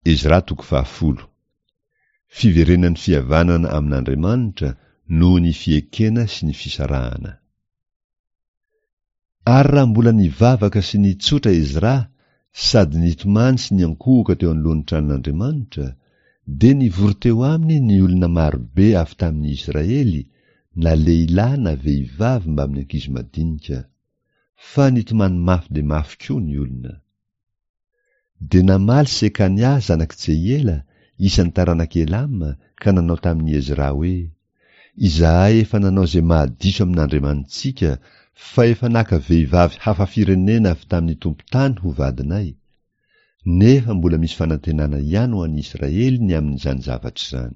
Ezra toko fahafolo. Fiverenan'ny fihavanana amin'Andriamanitra noho ny fiekena sy ny fisarahana. Ary raha mbola nivavaka sy nitsotra Ezra sady nitomany sy niankohoka teo anoloan'ny tranon'Andriamanitra, dia nivory teo aminy ny olona marobe avy tamin'ny Israely, na lehilahy na vehivavy mbamin'ny ankizy madinika. Fa nitomany mafy dia mafy koa ny olona. Dia namaly Sekania zanak'i Jehiela, isan'ny taranak'i Elama, ka nanao tamin'i Ezra hoe, Izahay efa nanao izay mahadiso amin'Andriamanitsika, fa efa naka vehivavy hafa firenena avy tamin'ny tompon-tany ho vadinay. Nefa mbola misy fanantenana ihany ho an'ny Israely ny amin'izany zavatra izany.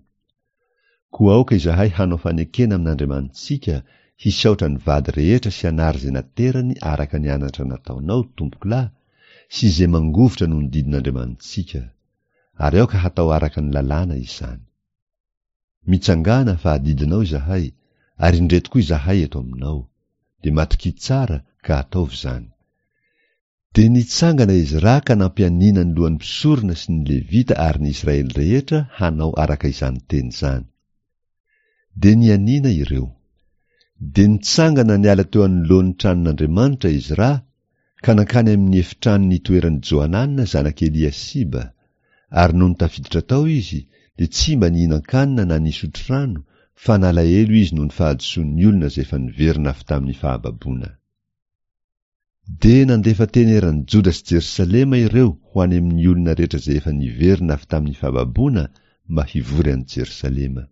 Koa aoka izahay hanao fanekena amin'Andriamanitsika, hisaotra ny vady rehetra sy hanary izay naterany araka ny anatra nataonao, tompokolahy, sy izay mangovitra noho ny didin'Andriamanitsika. Ary aoka hatao araka ny lalàna izany. Mitsangàna fa adidinao izahay, ary indreto koa izahay eto aminao. Dia matokia tsara ka ataovy izany. Dia nitsangana Ezra ka nampianiana ny lohan'ny mpisorona sy ny Levita ary ny Israely rehetra hanao araka izany teny izany. Dia nianiana ireo. Dia nitsangana niala teo anoloan'ny tranon'Andriamanitra Ezra ka nankany amin'ny efitrano nitoeran'i Johanana zanak'i Eliasiba, ary nony tafiditra tao izy dia tsy mba nihinan-kanina na nisotro rano, fa nalahelo izy noho ny fahadisoan'ny olona izay efa niverina avy tamin'ny fahababoana. Dia nandefa teny eran'i Joda sy Jerosalema ireo ho any amin'ny olona rehetra izay efa niverina avy tamin'ny fahababoana mba hivory any Jerosalema.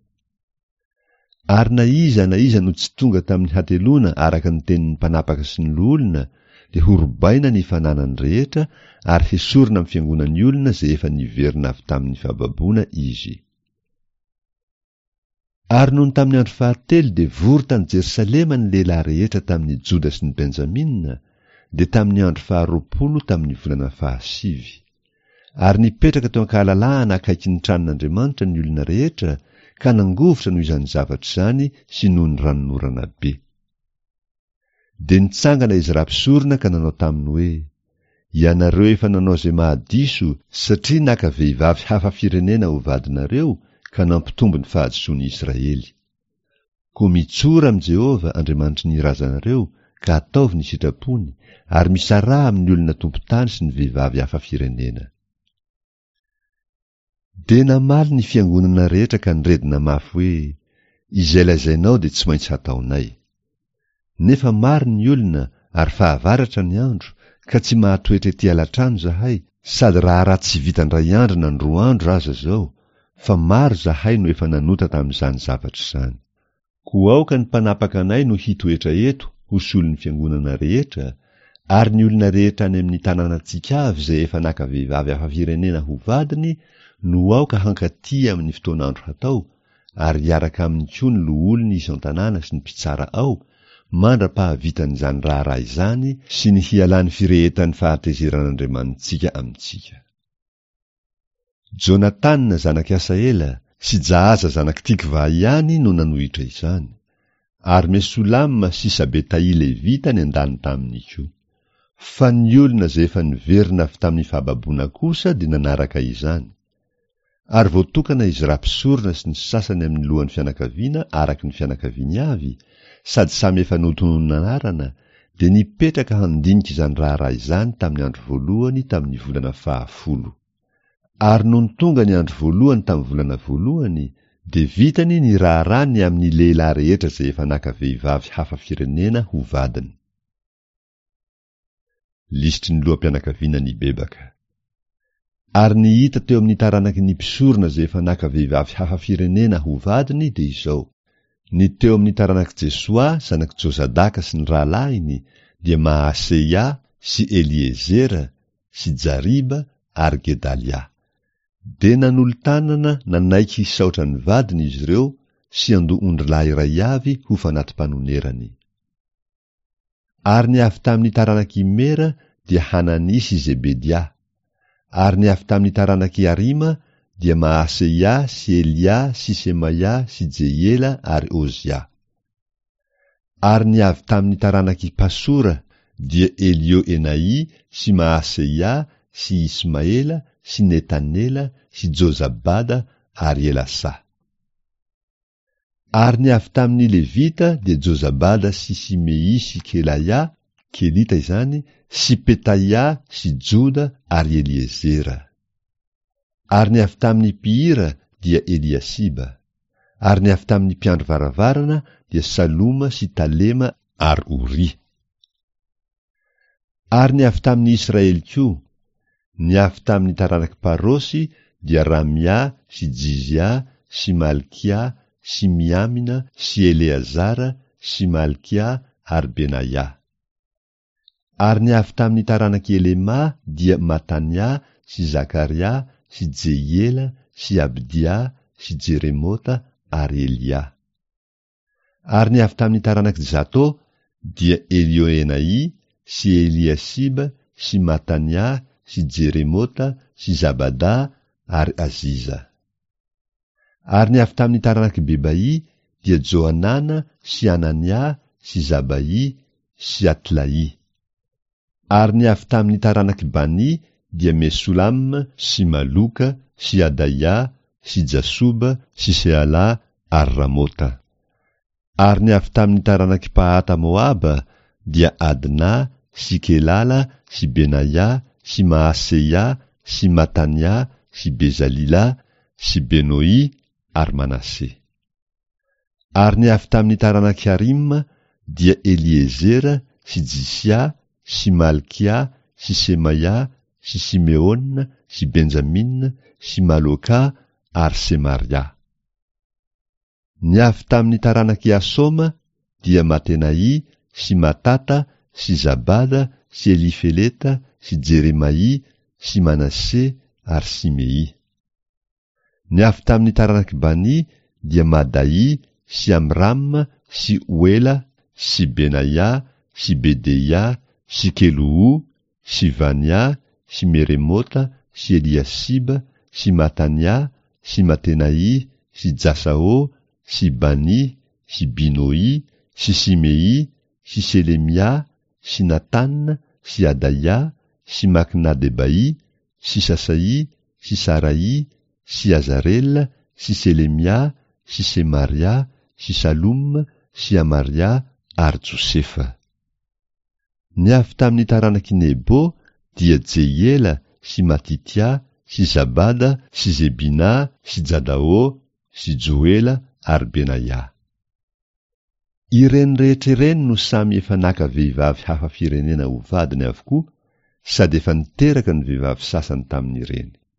Ary na iza na iza no tsy tonga tamin'ny hateloana araka ny tenin'ny mpanapaka sy ny loholona dia horobaina ny fananany rehetra ary hesorina amin'ny fiangonan'ny olona izay efa niverina avy tamin'ny fahababoana izy. Ary nony tamin'ny andro fahatelo dia vory tany Jerosalema ny lehilahy rehetra tamin'ny Joda sy ny Benjamina, dia tamin'ny andro faharoapolo tamin'ny volana fahasivy. Ary nipetraka teo an-kahalalahana akaikin'ny tranon'Andriamanitra ny olona rehetra ka nangovitra noho izany zavatra izany sy noho ny ranonorana be. Dia nitsangana Ezra mpisorona ka nanao taminy hoe, Ianareo efa nanao izay mahadiso, satria naka vehivavy hafa firenena ho vadinareo ka nampitombo ny fahadisoan'i Israely. Koa mitsora amin'i Jehovah, Andriamanitry ny razanareo, ka ataovy ny sitrapony, ary misaraha amin'ny olona tompon-tany sy ny vehivavy hafa firenena. Dia namaly ny fiangonana rehetra ka niredona mafy hoe, Izay lazainao dia tsy maintsy hataonay. Nefa maro ny olona ary fahavaratra ny andro ka tsy mahatoetra ety alatrano izahay sady raharaha tsy vita indray andro na ny roa andro aza izao fa maro izahay no efa nanota tamin'izany zavatra izany. Koa aoka ny mpanapaka anay no hitoetra eto ho solon'ny fiangonana rehetra, ary ny olona rehetra any amin'ny tanànantsika avy izay efa naka vehivavy hafa firenena ho vadiny no aoka hankaty amin'ny fotoan'andro hatao, ary hiaraka aminy koa ny loholony isan-tanàna sy ny mpitsara ao, mandra-pahavitan'izany raharaha izany sy ny hialan'ny firehetan'ny fahatezeran'Andriamanitsika amintsika. Jonatana zanak'i Asahela sy Jahaza zanak'i Tikva ihany no nanohitra izany, ary Mesolama sy Sabetaì Levita niandany taminy koa. Fa ny olona izay efa niverina avy tamin'ny fahababoana kosa dia nanaraka izany. Ary voatokana izy Ezra mpisorona sy ny sasany amin'ny lohan'ny fianakaviana araka ny fianakaviany avy, sady samy efa notononina anarana, dia nipetraka handinika izany raharaha izany tamin'ny andro voalohany tamin'ny volana fahafolo. Ary nony tonga ny andro voalohany tamin'ny volana voalohany, dia vitany ny raharaha ny amin'ny lehilahy rehetra izay efa naka vehivavy hafa firenena ho vadiny. Lisitry ny loham-pianakaviana nibebaka. Ary ny hita teo amin'ny taranaky ny mpisorona izay efa naka vehivavy hafa firenena ho vadiny dia izao, Ny teo amin'ny taranak'i Jesoa zanak'i Jozadaka sy ny rahalahiny dia Maaseia sy Eliezera sy Jariba ary Gedalia. Dia nanolo-tanana nanaiky hisaotra ny vadiny izy ireo sy handoa ondrilahy iray avy ho fanati-panonerany. Ary ny avy tamin'ny taranak'i Imera dia Hanania sy Zebedia. Ary ny avy tamin'ny taranak'i Harima dia Maaseia sy Elia sy Semaia sy Jehiela ary Ozia. Ary ny avy tamin'ny taranak'i Pasora dia Elioenai sy Maaseia sy Ismaela sy Netanela sy Jozabada ary Elasà. Ary ny avy tamin' ny Levita dia Jozabada sy Simey sy Kelaia, Kelita izany, sy Petaia sy Joda ary Eliezera. Ary ny avy tamin' ny mpihira dia Eliasiba. Ary ny avy tamin' ny mpiandry varavarana dia Saloma sy Talema ary Oria. Ary ny avy tamin' ny Israely koa, ny avy tamin' ny taranak'i Parosy dia Ramia sy Jizia sy Malkia sy Miamina sy Eleazara sy Malkia ary Benaia. Ary ny avy tamin' ny taranak'i Elema dia Matania sy Zakaria sy Jehiela sy Abdia sy Jeremota ary Elia. Ary ny avy tamin'ny taranak'i Zato dia Elioenai sy Eliasiba sy Matania sy Jeremota sy Zabada ary Aziza. Ary ny avy tamin'ny taranak'i Bebaì dia Johanana sy Anania sy Zabaì sy Atlaì. Ary ny avy tamin'ny taranak'i Bani dia Mesolam sy Maloka sy Adaia sy Jasoba sy Sealà ary Ramota. Ary ny avy tamin'ny taranak'i Pahata Moaba dia Adna sy Kelala sy Benaia sy Maaseia sy Matania sy Bezalila sy Benoì ary Manase. Ary ny avy tamin'ny taranak'i Harima dia Eliezera sy Jisia sy Malkia sy Semaia sy Simeona sy Benjamina sy Maloka ary Semaria. Ny avy tamin'ny taranak'i Asoma dia Matenai sy Matata sy Zabada sy Elifeleta sy Jeremaia sy Manase ary Simei. Ny avy tamin'ny taranak'i Bani dia Madaì sy Amram sy Oela sy Benaia sy Bedeia sy Keloho sy Vania sy Meremota sy Eliasiba sy Matania sy Matenaì sy Jasao sy Bani sy Binoì sy Simeì sy Selemia sy Natana sy Adaia sy Maknadebaì sy Sasaì sy Saraì sy Azarela sy Selemia sy Semaria sy Saloma sy Amaria ary Josefa. Ny avy tamin'ny taranak'i Nebo dia Jehiela sy Matitia sy Zabada sy Zebina sy Jadao sy Joela ary Benaia. Ireny rehetra ireny no samy efa naka vehivavy hafa firenena ho vadiny avokoa sady efa niteraka ny vehivavy sasany tamin'ireny.